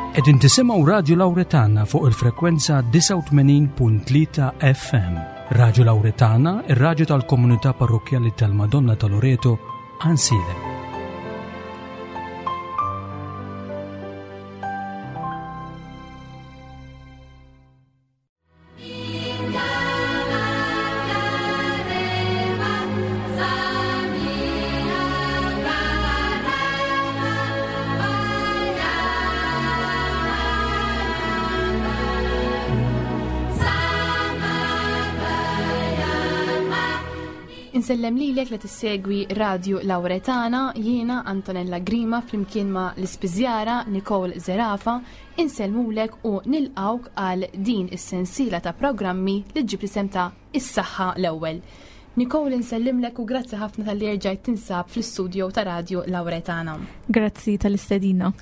Qegħdin tisimgħu Radju Lawretana fuq il-frekwenza 89.3 FM. Radju Lawretana, ir-radju tal-komunità parrokkjali tal-Madonna ta' Loreto, Ansilem. Insellem lilek li tissegwi Radio Lauretana, jiena Antonella Grima flimkien ma' l-ispiżjara Nicole Zerafa Insellmulek u nilqgħuk għal din is-sensiela ta' programmi li ġġib l-isem ta' Is-Saħħa l-Ewwel. Nicole insellimlek u grazzi ħafna talli erġajt tinsab fl-istudio ta' Radio Lauretana. Grazzi tal-istedina.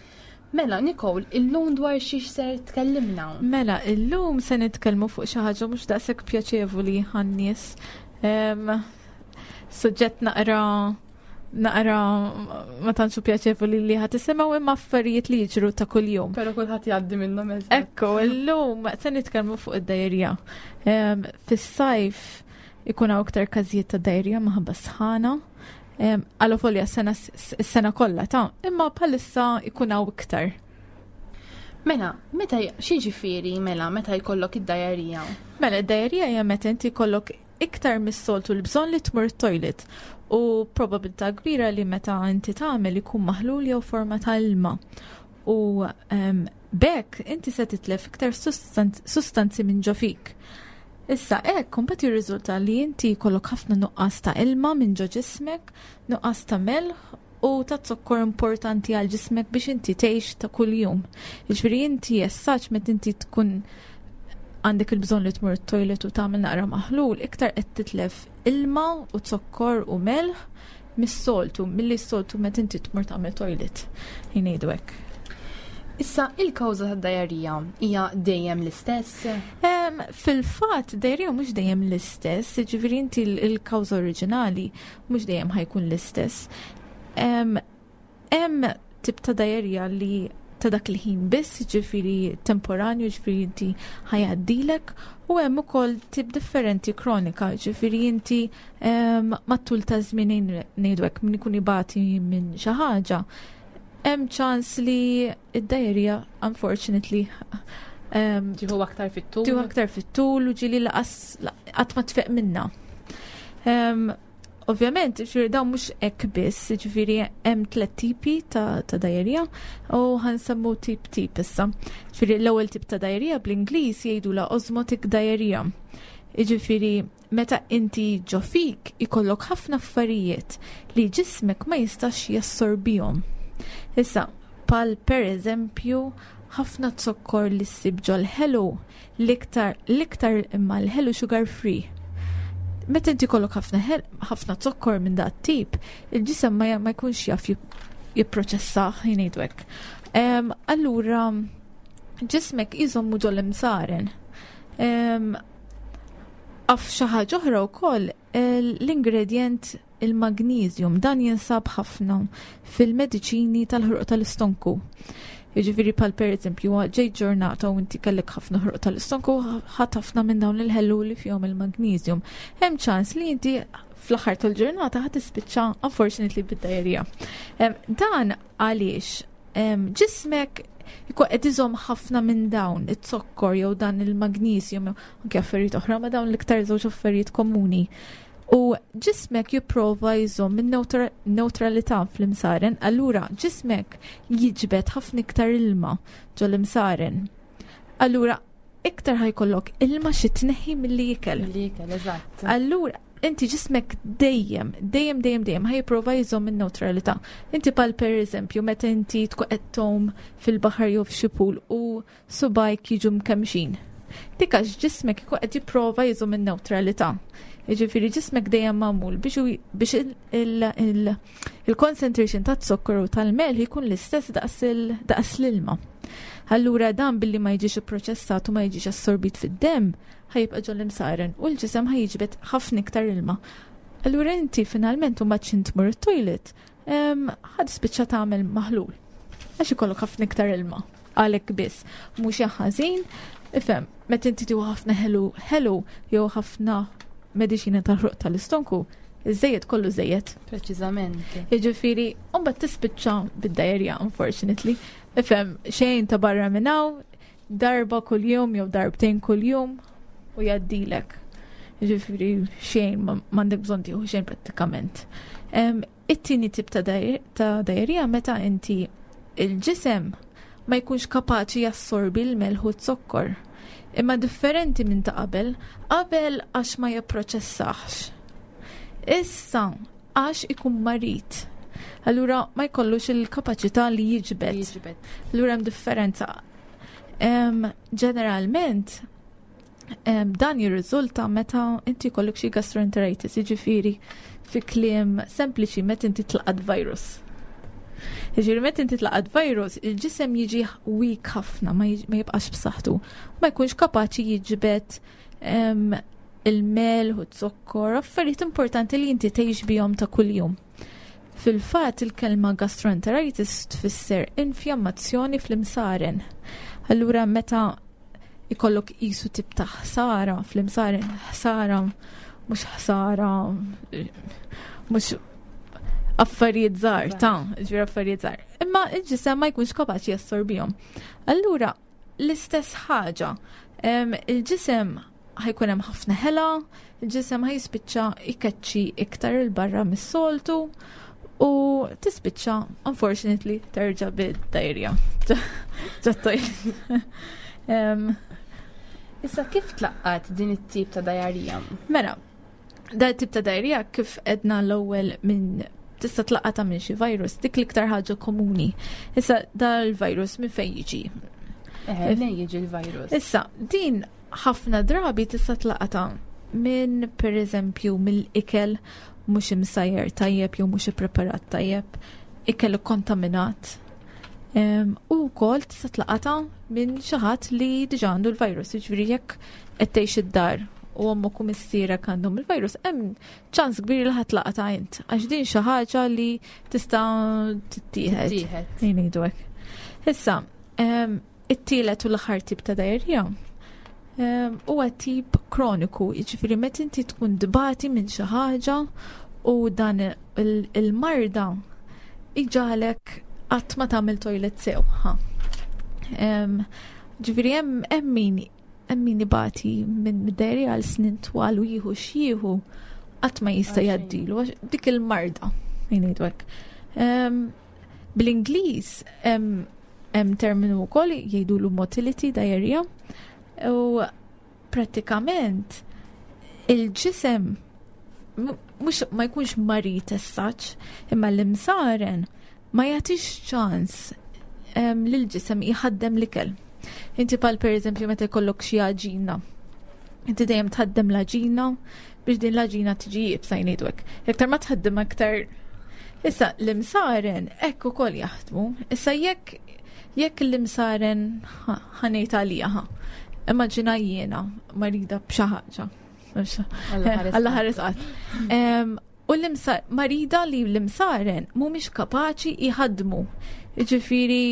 Mela, Nicole, illum dwar xiex ser tkellimna? Mela, illum se nitkellmu fuq xi ħaġa mhux daqshekk pjaċevoli għan-nies. Suġġett naqra naqra ma tantxu pjaċevoli li ħat isimgħu imma affarijiet li jiġru ta' kuljum. Però kulħadd jgħaddi minnhom eżatt. Ekku, illum se nitkellmu fuq id-dajerja. Fis-sajf ikun hawn iktar każijiet ta' dajerja minħabba sħana. Għallu folja s-sena kollha ta' imma bħalissa ikun hawn iktar. Mela, meta xi mela meta jkollok id-dajerija? Mela, id-dajerija hija meta inti jkollok iktar mis-soltu l-bżonn li tmur it-toilet u probabilità kbira li meta inti tagħmel ikun maħlul jew forma ta' ilma. U um, bekk inti se titlef iktar sustanzi minn ġo fik. Issa hekk kumbat jirriżulta li inti jkollok ħafna nuqqas ta' ilma minn ġo ġismek, nuqqas ta' melħ u ta' zokkor importanti għal ġismek biex inti tgħix ta' kuljum. Jiġifieri inti jessaċ meta inti tkun għandek il-bżonn li tmur it-toilet u tagħmel naqra maħlul, iktar qed titlef ilma u zokkor u melħ mis-soltu, milli s-soltu meta inti tmur tagħmel toilet. Jingħidu hekk. Issa, il-kawża tad-dajarija hija dejjem l-istess? Fil-fatt, dajarija mhux dejjem l-istess, jiġifieri inti l-kawża oriġinali mhux dejjem ħajkun l-istess. Hemm tip ta' dajerja li ta' dak il-ħin biss, ġifiri temporanju, ġifiri inti ħajaddilek, u hemm ukoll tip differenti kronika, ġifiri inti mat-tul ta' żmien ngħidu hekk min ikun ibati minn xi ħaġa, hemm ċans li id-dajerja unfortunately Tieħu aktar fit-tul. Tieħu aktar fit-tul u ġili laqas qatt ma tfeq minna. Ovvjament, ġifieri dawn mhux hekk biss, ġifieri hemm tliet tipi ta', ta dajerija u ħansemmu tip tip issa. Ġifieri l-ewwel tip ta' dajerija bl-Ingliż jgħidula osmotic diarrhea. Jiġifieri meta inti ġo fik ikollok ħafna affarijiet li ġismek ma jistax jassorbihom. Issa, pal per eżempju ħafna zokkor li ssib ġol-ħelu l-iktar l-iktar imma l-ħelu sugar free. Meta inti kollok ħafna ħafna zokkor minn dat tip, il-ġisem ma, ma jkunx jaf jipproċessah jgħidu hekk. Allura ġismek iżommu ġol-imsaren. Af xi ħaġa oħra wkoll l-ingredjent il-magnesium dan jinsab ħafna fil-mediċini tal-ħruq tal-istonku. Jiġifieri bħal pereżempju ġejt ġurnata u inti kellek ħafna ħruq tal-istonku ħadd ħafna minn dawn il-ħellu li fihom il-magnesium. Hemm ċans li inti fl-aħħar tal-ġurnata ħadd tispiċċa unfortunately bid-diarrhea. Dan għaliex ġismek ikun qed iżomm ħafna minn dawn it-zokkor jew dan il-magnesium jew anke affarijiet oħra ma dawn l-iktar żewġ affarijiet komuni. U ġismek jipprova jżomm in-newtralità fl-imsaren, allura ġismek jiġbed ħafna iktar ilma ġol-imsaren. Allura iktar ħajkollok ilma xi tneħħi milli ikel. Milli ikel, eżatt. Allura inti ġismek dejjem, dejjem, dejjem, dejjem ħajprova jżomm in-newtralità. Inti pal per eżempju meta inti tkun qed tgħum fil-baħar jew f'xi pool u subgħajk jiġu mkemmxin. Dik għax ġismek ikun qed jipprova jżomm in-newtralità. Jiġifieri ġismek dejjem magħmul biex biex il-concentration ta' zokkor u tal-melħ jkun l-istess daqs l-ilma. Allura dan billi ma jiġix ipproċessat u ma jiġix assorbit fid-demm, ħajibqa' ġol-imsaren u l-ġisem ħajġbed ħafna iktar ilma. Allura inti finalment u mbagħad x'int tmur it-toilet, ħad spiċċa tagħmel maħlul. Għax ikollok ħafna iktar ilma. Għalhekk biss. Mhux ħażin, ifhem, meta inti tieħu ħafna ħelu ħelu jew ħafna mediċina tal-ħruq tal-istonku, iż-żejjed kollu żejjed. Preċiżament. Jiġifieri, mbagħad tispiċċa bid-diarrhea, unfortunately. Ifhem, xejn ta' barra minn hawn, darba kuljum jew darbtejn kuljum u jgħaddilek. Jiġifieri xejn m'għandek bżonn tieħu xejn prattikament. It-tieni tip ta' diarrhea meta inti il-ġisem ma jkunx kapaċi jassorbi l-melħ u z-zokkor. Imma differenti minn ta' qabel, qabel għax ma jipproċessax. Issa għax ikun marid. Allura ma jkollux il-kapaċità li jiġbed. Jiġbed. Allura hemm differenza. Ġeneralment, dan jirriżulta meta inti jkollok xi gastroenteritis, jiġifieri fi kliem sempliċi meta inti tlaqat virus. Jiġifieri meta inti tlaqat virus, il-ġisem jiġi weak ħafna, ma jibqax b'saħħtu. Ma jkunx kapaċi jiġbed il-melħ u z-zokkor, affarijiet importanti li inti tgħix bihom ta' kuljum. Fil-fatt il-kelma gastroenteritis tfisser infjammazzjoni fl-imsaren. Allura meta ikollok qisu tip ta' ħsara fl-imsaren, ħsara mhux ħsara mhux affarijiet żgħar ta' ġifieri affarijiet żgħar. Imma il-ġisem ma jkunx kapaċi jassorbihom. Allura l-istess ħaġa, il-ġisem ħajkun hemm ħafna ħela, il-ġisem ħajspiċċa jkeċċi iktar il barra mis-soltu u tispiċċa unfortunately terġa' bid-diarrhea. Ġat-toilet. Issa kif tlaqqat din it-tip ta' diarrhea? Mela, da tip ta' diarrhea kif edna l-ewwel minn tista' tlaqqata minn xi virus, dik l-iktar ħaġa komuni. Issa dal-virus minn fejn jiġi? Minn jiġi l-virus? Issa, din ħafna drabi tista' tlaqata minn pereżempju mill-ikel mhux imsajjar tajjeb jew mhux ippreparat tajjeb, ikel kontaminat. U wkoll tista' tlaqata minn xi ħadd li diġà għandu l-virus, jiġifieri jekk qed tgħix id-dar u ommok u missierek għandhom il-virus, hemm ċans kbir li ħadd laqata int, għax din xi ħaġa li tista' tittieħed. Tittieħed. Ngħidu hekk. Issa, it-tielet u l-aħħar tip ta' diarrhea huwa tip kroniku, jiġifieri meta inti tkun dbati minn xi ħaġa u dan il-marda iġalek qatt ma tagħmel toilet sew. Ġifieri hemm min ibati minn diarrhea għal snin twal u jieħu x'jieħu qatt ma jista' Għaxejn. jgħaddilu għax dik il-marda, ngħidu hekk. Bl-Ingliż hemm terminu wkoll jgħidulu motility diarrhea u prattikament il-ġisem mhux ma jkunx marid as such, imma l-imsaren ma jagħtix ċans lill-ġisem jħaddem l-ikel. Inti pal per eżempju meta jkollok xi għaġina, inti dejjem tħaddem l-għaġina biex din l-għaġina tiġi iebsa jgħidu hekk. Iktar ma tħaddem aktar. Issa l-imsaren hekk ukoll jaħdmu. Issa jekk l-imsaren ħanejt għalija, ħa. Immaġina jiena marida b'xi ħaġa. Alla ħares Alla ħares qatt. U marida li l-imsaren mhumiex kapaċi jħaddmu. Jiġifieri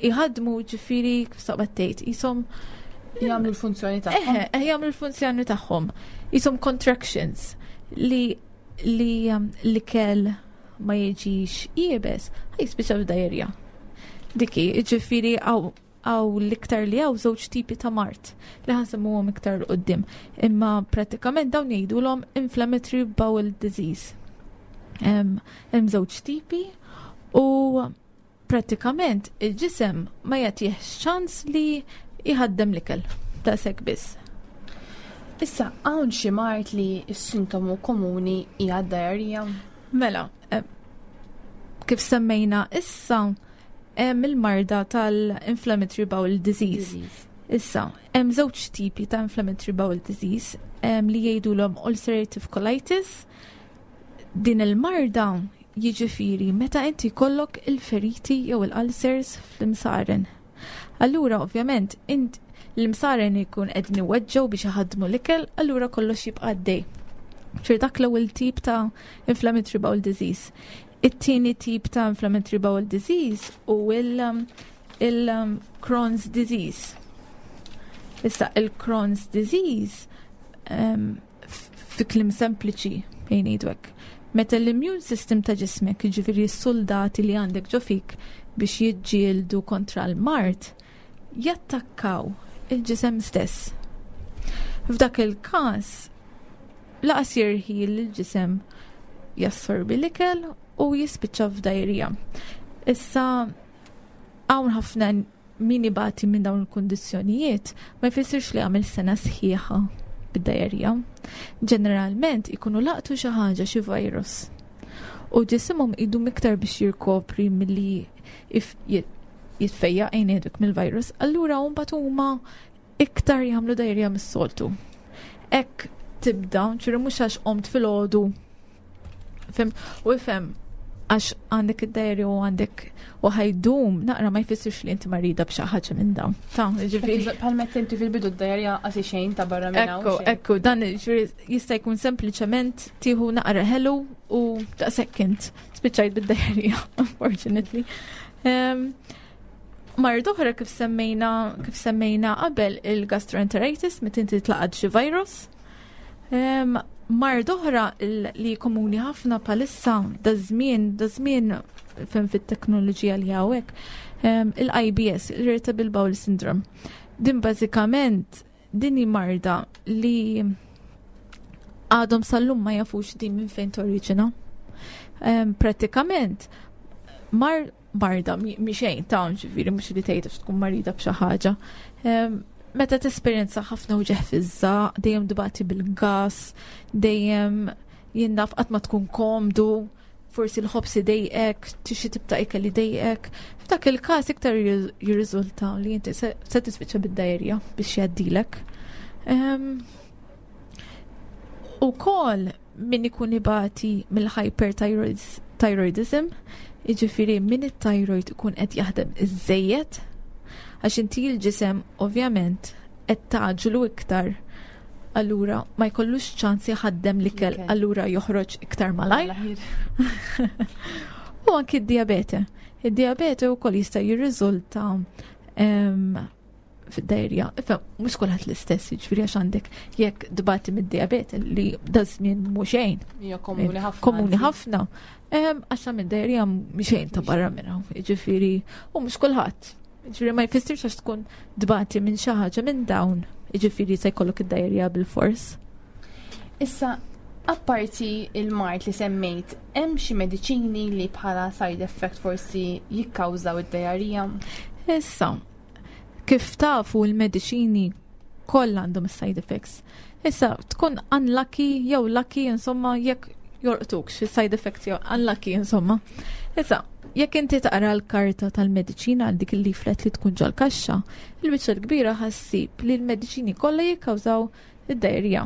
jħaddmu, ġifieri kif saqbad tgħid, qishom jagħmlu l-funzjoni tagħhom. Eħe, jagħmlu l-funzjoni tagħhom. Qishom contractions li l-ikel ma jiġix iebes, ħa jispiċċa b'diarrhea. Diki, ġifieri għaw l-iktar li għaw żewġ tipi ta' mard li ħansemmuhom iktar 'l quddiem. Imma pratikament dawn jgħidulhom inflammatory bowel disease. Hemm żewġ tipi u pratikament il-ġisem ma jagħtihx ċans li jħaddem l-ikel. Ta' sekk biss. Issa, hawn xi mard li s-sintomu komuni hija d-diarrhea? Mela, kif semmejna issa hemm il-marda tal-inflammatory bowel disease. Disease. Issa, hemm żewġ tipi ta' inflammatory bowel disease li jgħidulhom ulcerative colitis. Din il-marda jiġifieri meta inti jkollok il-feriti jew il-ulcers fl-imsaren. Allura, ovvjament, int l-imsaren ikun qegħdin iweġġgħu biex iħaddmu l-ikel, allura kollox jibqa' għaddej. Ċir dak l-ewwel tip ta' inflammatory bowel disease. It-tieni tip ta' inflammatory bowel disease u il-Crohn's disease. Issa il-Crohn's disease fi kliem sempliċi bejn ngħidu hekk. Meta l-immune system ta' ġismek, jiġifieri s-soldati li għandek ġo fik biex jiġġieldu kontra l-mard, jattakkaw il-ġisem stess. F'dak il-każ, laqas jirħi l-ġisem jassorbi l-ikel u jispiċċa f'dajrija. Issa hawn ħafna min ibati minn dawn il-kundizzjonijiet ma jfissirx li għamel sena sħiħa bid-diarrhea. Ġeneralment ikunu laqtu xi ħaġa xi virus. U ġisimhom idum iktar biex jirkopri milli jitfejja ngħidlek mill-virus, allura mbagħad huma iktar jagħmlu diarrhea mis-soltu. Hekk tibda, ċiri mhux għax qomt filgħodu. Fim, u ifhem għax għandek id-diarrhea u għandek u ħajdum naqra ma jfissirx li inti marida b'xi ħaġa minn dawn. Ta' ġifieri. Bħal meta inti fil-bidu d-diarrhea qasi xejn ta' barra minn hawn. Ekku, ekku, dan ġifieri jista' jkun sempliċement tieħu naqra ħelu u daqshekk int spiċċajt bid-diarrhea, unfortunately. Mard oħra kif semmejna kif semmejna qabel il-gastroenteritis meta inti tlaqad xi virus. Mard oħra li komuni ħafna palissa da żmien da żmien fem fit-teknoloġija li hawnhekk il-IBS, il-Irritable Bowel Syndrome. Din bażikament din hi marda li għadhom sal-lum ma jafux din minn fejn torriġina. Pratikament mar marda mi xejn ta' ġifieri mhux li tgħid għax tkun marida b'xi ħaġa. Meta tesperjenza ħafna uġigħ fiż-żaq, dejjem tbati bil-gas, dejjem jien naf qatt ma tkun komdu, forsi l-ħobs idejqek, tixi tibta ikel idejqek. F'dak il-każ iktar jirriżulta li inti se tispiċċa bid-diarrhea biex jgħaddilek. Ukoll min ikun ibati mill-hyperthyroidism, jiġifieri min it-thyroid ikun qed jaħdem iżejjed, għax inti l-ġisem ovvjament qed taġlu iktar, allura ma jkollux ċans jaħaddem l-ikel, allura joħroġ iktar malajr. U anki d-diabete. Id-diabete wkoll jista' jirriżulta fid-diarrhea. Ifhem, mhux kulħadd l-istess, jiġifieri għax għandek jekk tbati mid-diabete li da żmien mhux xejn. Hija komuni ħafna. Komuni ħafna. Għax mid diarrhea mhix xejn ta' barra minn hawn, jiġifieri u mhux kulħadd. Jiġifieri ma jfissirx għax tkun tbati minn xi ħaġa minn dawn, jiġifieri se jkollok id-diarrhea bil-fors. Issa, apparti il-mard li semmejt, hemm xi mediċini li bħala side effect forsi jikkawżaw id-diarrhea? Issa, kif tafu l-mediċini kollha għandhom side effects. Issa, tkun unlucky jew lucky, insomma, jekk jolqtuk xi side effects jew unlucky, insomma. Issa, jekk inti taqra l-karta tal-mediċina għal dik il-leaflet li tkun ġol-kaxxa, il-biċċa l-kbira ħassib li l-mediċini kollha jikkawżaw id-diarrhea.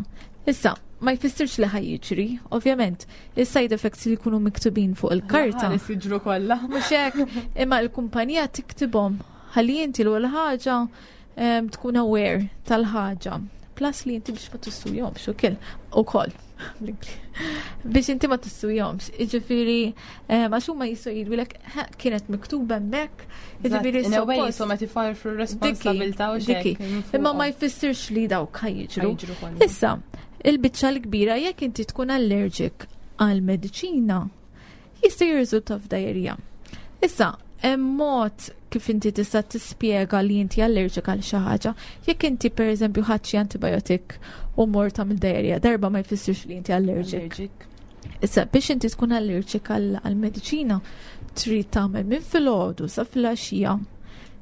Issa, ma jfissirx li ħa jiġri, ovvjament, il-side effects li jkunu miktubin fuq il-karta. Ħares jiġru kollha. Mhux hekk, imma l-kumpanija tiktibhom ħalli inti l-ewwel ħaġa tkun aware tal-ħaġa. Plus li inti biex ma tissujhomx ukoll ukoll. Biex inti ma tissujhomx. Jiġifieri għax huma jistgħu jgħidulek kienet miktuba hemmhekk. Jiġifieri In a way jisom qed ifarfru r-responsabilità u Diki. xejn. Imma ma jfissirx li dawk ħa jiġru. Ħa jiġru kollha. Issa, il-biċċa l-kbira jekk inti tkun allergic għal mediċina jista' jirriżulta f'diarrhea. Issa, hemm mod kif inti tista' tispjega li inti allergic għal xi ħaġa. Jekk inti pereżempju ħadt xi antibiotic u mort tagħmel diarrhea, darba ma jfissirx li inti allergic. Allergic. Issa, biex inti tkun allergic għal mediċina, trid tagħmel minn filgħodu sa filgħaxija.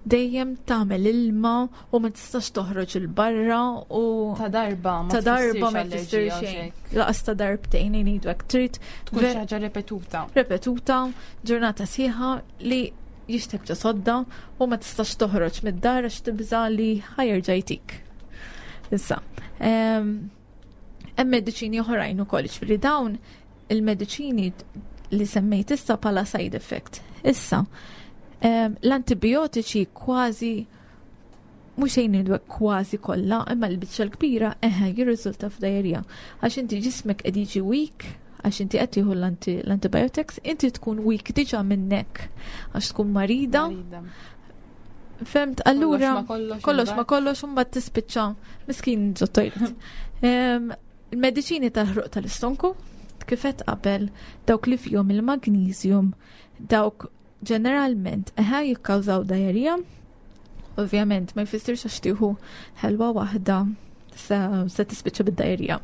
Dejjem tagħmel ilma u ma tistax toħroġ il barra u Ta' darba ma ta' darba ma tfissirx jfissir allerġija xejn. xejn. Laqas ta' darbtejn ngħidu hekk trid Tkun xi ħaġa repetuta. repetuta, ġurnata sħiħa li jixtek ġo sodda u ma tistax toħroġ mid-dar għax tibża li ħa jerġa' jtik. Issa, hemm mediċini oħrajn ukoll, ġifieri dawn il-mediċini li semmejt issa bħala side effect. Issa, l-antibiotiċi kważi mhux xejn ngħidu hekk kważi kollha, imma l-biċċa l-kbira eħe jirriżulta f'diarrhea. Għax inti ġismek qed jiġi weak, għax inti qed tieħu l-antibiotics, inti tkun weak diġà minnek għax tkun marida. Marida. Fhimt, allura kollox ma kollox u mbagħad tispiċċa miskin ġo toilet. Il-mediċini tal-ħruq tal-istonku kif għedt qabel dawk li fihom il-magnesium dawk ġeneralment eħe jikkawżaw diarrhea. Ovvjament ma jfissirx għax tieħu ħelwa waħda se, se tispiċċa bid-diarrhea.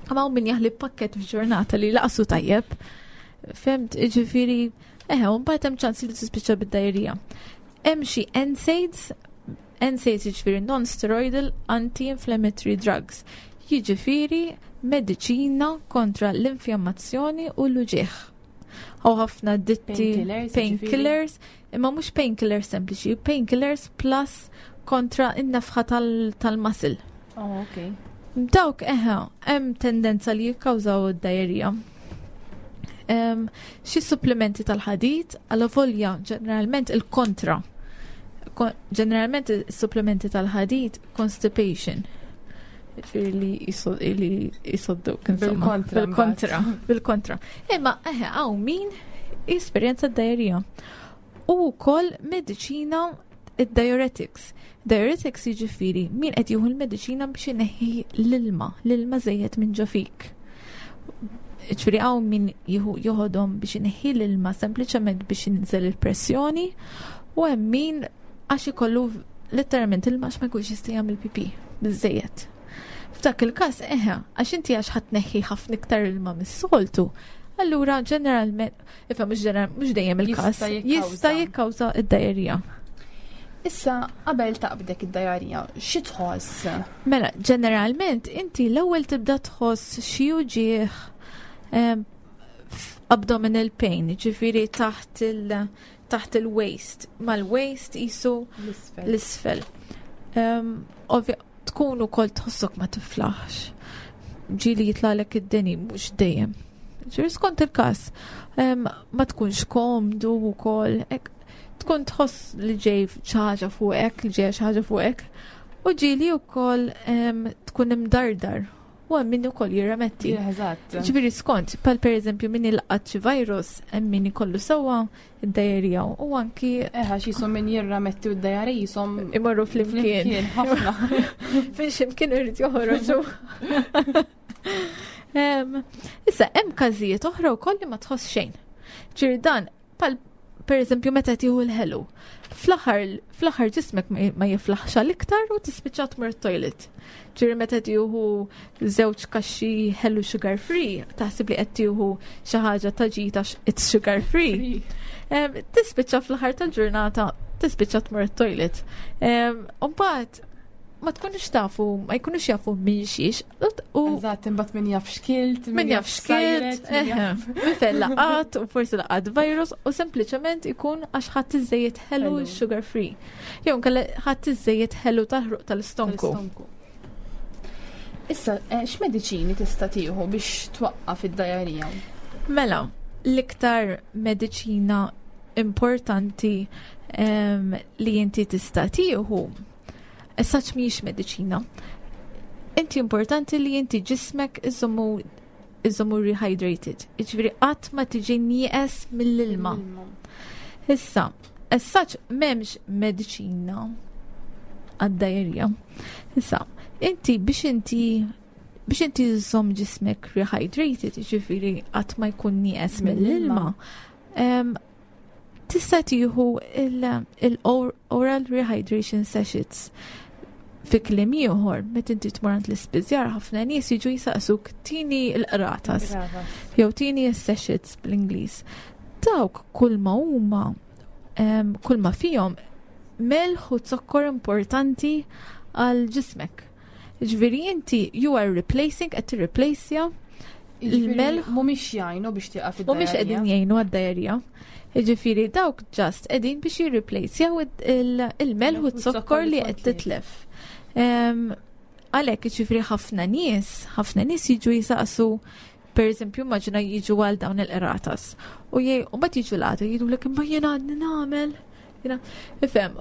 Imma hawn min jaħli pakket f'ġurnata li laqsu tajjeb. Fhimt, ġifieri, eħe, u mbagħad hemm ċans li tispiċċa bid-diarrhea. Hemm xi NSAIDs, NSAIDs jiġifieri non-steroidal anti-inflammatory drugs, jiġifieri mediċina kontra l-infjammazzjoni u l-uġigħ. Hawn ħafna ditti Painkillers, jiġifieri? painkillers, imma mhux painkillers sempliċi, painkillers plus kontra in-nefħa tal-muscle. Oh, ok. Dawk eħe, hemm tendenza li jikkawżaw id-diarrhea. Xi supplementi tal-ħadid, għalavolja ġeneralment il-kontra. Ġeneralment is-supplementi tal-ħadid constipation. Ġifieri li jisodduk, insomma. Bil-kontra, Bil-kontra, mbagħad. bil-kontra. Imma eħe, hawn min jesperjenza d-diarrhea. U wkoll mediċina id-diuretics. Diuretics jiġifieri min qed jieħu l-mediċina biex ineħħi l-ilma, l-ilma żejjed minn ġo fik. Ġifieri hawn min joħodhom biex ineħħi l-ilma sempliċement biex jinżel il-pressjoni u hemm min għax ikollu letteralment ilma għax ma jkunx jista' jagħmel pipi biżejjed. F'dak il-każ eħe, għax inti għax ħa tneħħi ħafna iktar ilma mis-soltu, allura ġeneralment, ifhem mhux dejjem il-każ, Jista' jikkawża. jista' jikkawża id-diarrhea. Issa, qabel taqbdek id-diarrhea, xi tħoss? Mela, ġeneralment inti l-ewwel tibda tħoss xi uġigħ abdominal pain, ġifieri taħt il-waist, mal-waist jisu L-isfel. l-isfel. Ovvja, tkun ukoll tħossok ma tiflaħx. Ġieli jitlagħlek id-deni, mhux dejjem. Ġifieri skont il-każ, ma tkunx komdu wkoll, hekk, tkun tħoss li ġej xi ħaġa fuqek, li ġej xi ħaġa fuqek, u ġieli wkoll tkun imdardar. U hemm min ukoll jirremetti. Eżatt. Ġifieri skont, pal per eżempju min ilqat xi virus, hemm min ikollu sewwa id-diarrhea u anki Eħe, għax jisom min jirrametti u d-diarrhea jisom imorru flimkien. flimkien ħafna. Minn ximkien irid joħroġu. Issa, hemm każijiet oħra wkoll li ma tħoss xejn. Ġifieri dan, pal per eżempju meta tieħu l-ħelu, fl-aħħar ġismek ma jiflaħx għal iktar u tispiċċa tmur toilet. Ġifieri meta tieħu żewġ kaxxi ħelu sugar free, taħseb li qed tieħu xi ħaġa ta' ġita it's sugar free. Tispiċċa fl-aħħar tal-ġurnata tispiċċa tmur toilet. U mbagħad ma tkunux tafu, ma jkunux jafu minn xiex. U Eżatt, imbagħad min jaf x'kilt, min jaf x'kilt, sajret, min jaf- eħe, min fejn laqat u forsi laqat virus u sempliċement ikun għax ħadd iżejjed ħelu Ħelu. sugar free. Jew inkella ħadd iżejjed ħelu tal-ħruq tal-istonku. Tal-istonku. Issa, x'mediċini tista' tieħu biex twaqqaf id-diarrhea? Mela, l-iktar mediċina importanti li inti tista' tieħu, issa mhijiex mediċina. Inti importanti li inti ġismek iżommu rehydrated. Jiġifieri qatt ma tiġi nieqes mill-ilma. Issa, essaċ m'hemmx mediċina għad-diarrhea. Issa, inti biex inti żżomm ġismek rehydrated, jiġifieri qatt ma jkun nieqes mill-ilma, tista' tieħu il-oral rehydration sachets. Fi kliem ieħor, meta inti tmur għand l-ispiżjar, ħafna nies jiġu jisaqsuk tini l-qratas jew tini s-sachets bl-Ingliż. Dawk kull ma huma kull ma fihom melħ u zokkor importanti għal ġismek. Ġifieri inti you are replacing, qed tirreplaceja il-melħ. Mhumiex jgħinu biex tieqaf Mhumiex id-diarrhea. qegħdin jgħinu għad-diarrhea. Ġifieri dawk just qegħdin biex jirreplacejaw il-melħ u z-zokkor li qed titlef. Għalhekk ġifieri ħafna nies jiġu jisaqsu, per eżempju, maġna jiġu għal dawn il-qratas. U mbagħad jiġu l-għada jgħidulek imma jiena għadni nagħmel. Jiena, ifhem,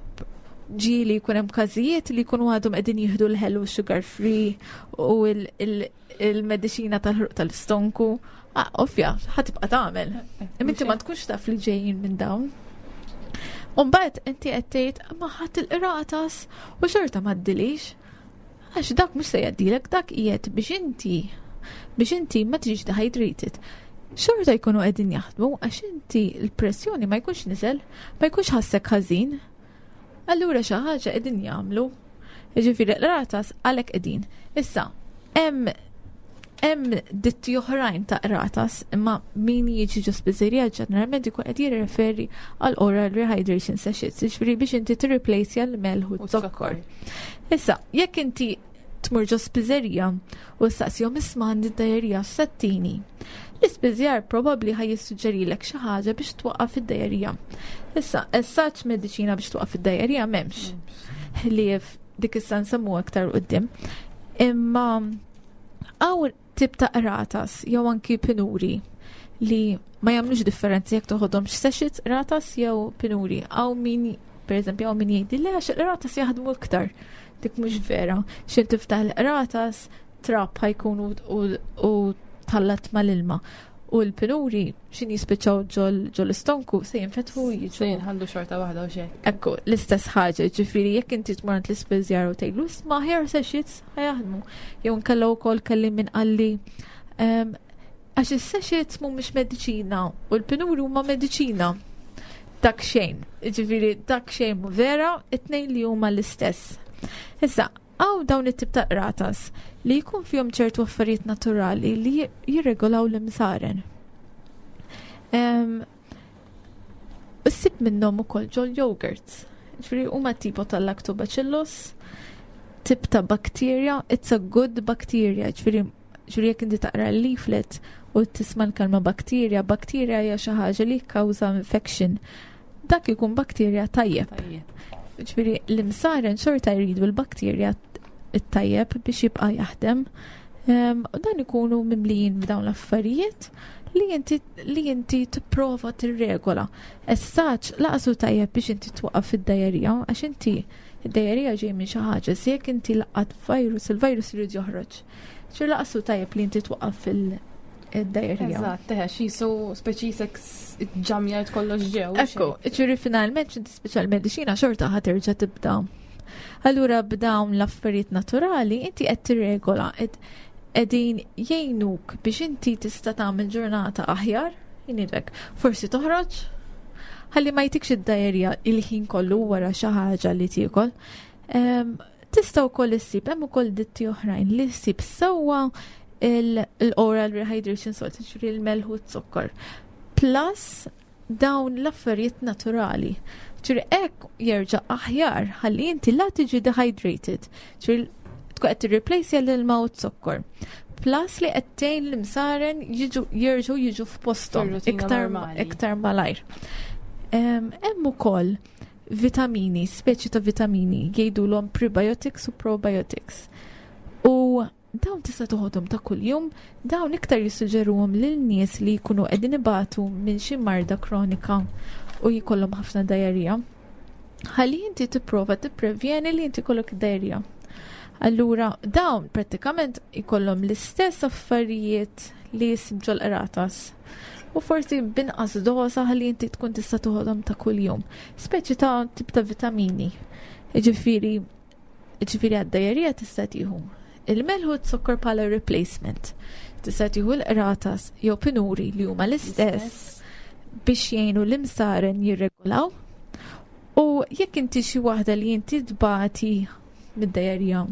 ġieli jkun hemm każijiet li jkunu għadhom qegħdin jieħdu l-ħelu sugar free u il-mediċina tal-ħruq tal-istonku. Ah, ovvja, ħa tibqa' tagħmel. Imma inti ma tkunx taf li ġejjin minn dawn. Umbagħad inti qed tgħid ma ħadd il-qratas u xorta ma ddilix. Għax dak mhux se jgħaddilek, dak qiegħed biex inti biex inti ma tiġix dehydrated. Xorta jkunu qegħdin jaħdmu għax inti l-pressjoni ma jkunx niżel, ma jkunx ħassek ħażin. Allura xi ħaġa qegħdin jagħmlu. Jiġifieri l-qratas għalhekk qegħdin. Issa, hemm hemm ditti oħrajn ta' qratas, imma min jiġi ġo spiżerija ġeneralment ikun qed jirreferi għal oral rehydration sachets, jiġifieri biex inti tirreplace l-melħ u z-zokkor. Issa, jekk inti tmur ġo spiżerija u staqsihom isma' għandi d-dajerija settini. L-ispiżjar probabbli ħaj jissuġġerilek xi ħaġa biex twaqqaf id-dajerija. Issa, as such mediċina biex twaqqaf id-dajerija m'hemmx. Ħlief dik issa nsemmu aktar quddiem. Imma hawn tip ta' qratas jew anki pinuri li ma jagħmlux differenzi jekk toħodhomx sachets qratas jew pinuri. Hawn min pereżempju hawn min jgħidli le għax il-qratas jaħdmu iktar. Dik mhux vera. X'in tiftaħ il-qratas trab ħajkun u tħallat mal-ilma. U l-pinuri xin jispiċċaw ġol istonku se jinfetħu jiġu. Se jinħallu xorta waħda u xejn. Ekku, l-istess ħaġa, ġifieri jekk inti tmur għand l-ispiżjar u tgħidlu isma' ħjar sachets ħajaħdmu. Jew nkella wkoll kelli min qalli għax is-sachets mhumiex mediċina u l-pinuri huma mediċina. Dak xejn, ġifieri dak xejn mhu vera, it-tnejn li huma l-istess. Issa, hawn dawn it-tip ta' qratas li jkun fihom ċertu affarijiet naturali li jirregolaw l-imsaren. Issib minnhom ukoll ġol yogurts. Ġifieri huma tipo tal-lactobacillus, tip ta' bacteria, it's a good bacteria, ġifieri ġifieri jekk inti taqra l-leaflet u tisma' l-kelma bacteria, bacteria hija xi ħaġa li kkawża infection. Dak ikun bakterja tajjeb. Ġifieri l-imsaren xorta jridu l-bakterja it-tajjeb biex jibqa' jaħdem. U dan ikunu mimlijin b'dawn l-affarijiet li inti li inti tipprova tirregola. As such, laqasu tajjeb biex inti twaqqaf id-dajerija, għax inti id-dajerija ġej minn xi ħaġa, se jekk inti laqat virus, il-virus irid joħroġ. Ċir laqasu tajjeb li inti twaqqaf il-dajerija. Eżatt, teħe, xisu speċi sek ġamjajt kollox ġew. Ekku, ċiri finalment xinti speċjal mediċina xorta ħa terġa' tibda. Allura b'dawn l-affarijiet naturali inti qed tirregola, qegħdin jgħinuk biex inti tista' tagħmel ġurnata aħjar, jgħinilek. Forsi toħroġ, ħalli ma jtikx id-dajerja il-ħin kollu wara xi ħaġa li tiekol. Tista' wkoll issib hemm ukoll ditti oħrajn li ssib sewwa l-oral rehydration salt, ġifieri l-melħ u z-zokkor. Plus dawn l-affarijiet naturali. Ġifieri hekk jerġa' aħjar ħalli inti la tiġi dehydrated. Ġifieri tkun qed tirreplace l-ilma u z-zokkor. Plus li qed tgħin l-imsaren jiġu jerġgħu jiġu f'posthom Fir-rutina iktar normali. iktar malajr. Hemm ukoll vitamini, speċi ta' vitamini, jgħidulhom prebiotics u probiotics. U dawn tista' toħodhom ta' kuljum, dawn iktar jissuġġeruhom lil nies li jkunu qegħdin ibatu minn xi marda kronika u jkollhom ħafna diarrhea. Ħalli inti tipprova tipprevjeni li inti jkollok diarrhea. Allura dawn prattikament ikollhom l-istess affarijiet li jisib ġol-qratas. U forsi binqas doża ħalli inti tkun tista' toħodhom ta' kuljum. Speċi ta' tip ta' vitamini. Ġifieri għad-diarrhea tista' tieħu il-melħ u z-zokkor bħala replacement. Tista' tieħu l-qratas jew pinuri li huma l-istess biex jgħinu l-imsaren jirregolaw. U jekk inti xi waħda li inti tbati mid-diarrhea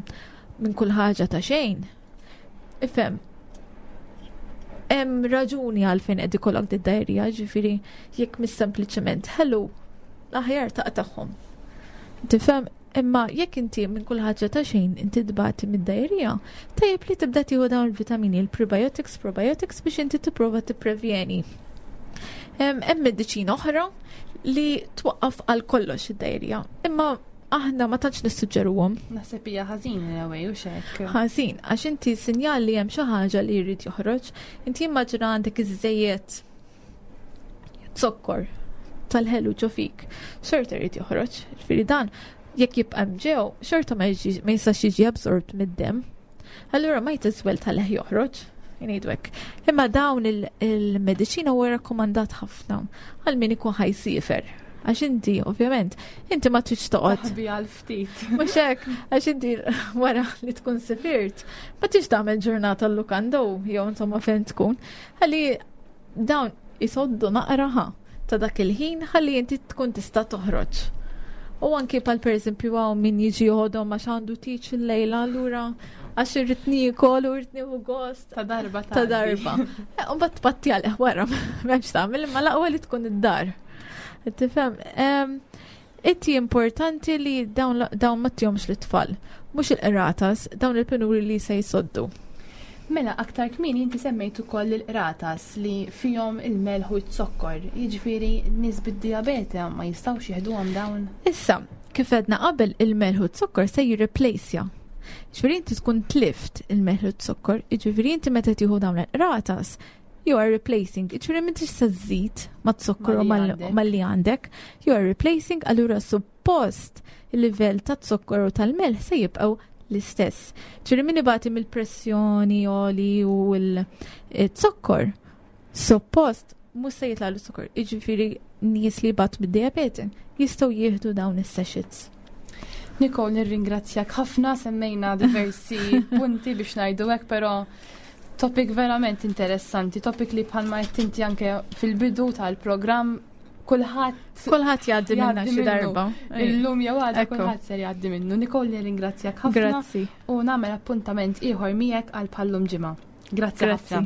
minn kull ħaġa ta' xejn, ifhem, hemm raġuni għalfejn qed ikollok id-diarrhea, ġifieri jekk mis sempliċement ħelu, l-aħjar taqtagħhom. Tifhem? Imma jekk inti minn kull ħaġa ta' xejn inti tbati mid-diarrhea, tajjeb li tibda tieħu dawn il-vitamini, il-prebiotics, probiotics biex inti tipprova tipprevjeni. Hemm mediċina oħra li twaqqaf għal kollox id-diarrhea, imma aħna ma tantx nissuġġeruhom. Naħseb hija ħażin in a way u xek. Ħażin, għax inti sinjal li hemm xi ħaġa li jrid joħroġ, inti immaġina għandek iż-żejjed zokkor tal-ħelu ġo fik, xorta jrid joħroġ. Ġifieri dan jekk jibqa' hemm ġew, xorta ma jistax jiġi absorbed mid-demm. Allura might as well tal-leħ joħroġ, jgħidu hekk. Imma dawn il-mediċina huwa rakkomandat ħafna għal min ikun ħajsiefer. Għax inti, ovvjament, inti ma tridx toqgħod. Taħbi għal ftit. Mhux hekk, għax inti wara li tkun sifirt, ma tridx tagħmel ġurnata l-lukanda jew insomma fejn tkun. Ħalli dawn isoddu naqra ta' dak il-ħin ħalli inti tkun tista' toħroġ. U anki pal per eżempju hawn min jiġi joħodhom għax għandu tiċ il-lejla allura għax irrid niekol u irrid nieħu gost. Ta' darba ta' darba. Eh, u mbagħad tpatti għal wara m'hemmx tagħmel imma l-aqwa li tkun id-dar. Tifhem? Inti importanti li dawn ma tihomx lit-tfal, mhux il-qratas, dawn il-pinuri li se jsoddu. Mela, aktar kmieni inti semmejt ukoll il-qratas li fihom il-melħ u z-zokkor, jiġifieri nies bid-dijabete ma jistgħux jieħduhom dawn? Issa, kif għedna qabel il-melħ u z-zokkor se jirreplejsja. Ġifieri inti tkun tlift il-melħ u z-zokkor, jiġifieri inti meta tieħu dawn il-qratas, you are replacing, ġifieri m'intix se żżid mat-zokkor u mal-li għandek, you are replacing, allura suppost il-livell ta' zokkor u tal-melħ se jibqgħu l-istess. Ġifieri min ibati mill-pressjoni oli u l-zokkor, suppost mhux se jitla' l-zokkor, jiġifieri nies li jbatu mid-diabete jistgħu jieħdu dawn is-sachets. Nicole, nirringrazzjak ħafna, semmejna diversi punti biex ngħidu hekk, però topic verament interessanti, topic li bħalma qed inti anke fil-bidu tal-programm kulħadd kulħadd jgħaddi minna xi darba. Illum jew għada kulħadd ser jgħaddi minnu. Nicole nirringrazzjak ħafna. Grazzi. U nagħmel appuntament ieħor miegħek għal bħallum ġimgħa. Grazzi ħafna.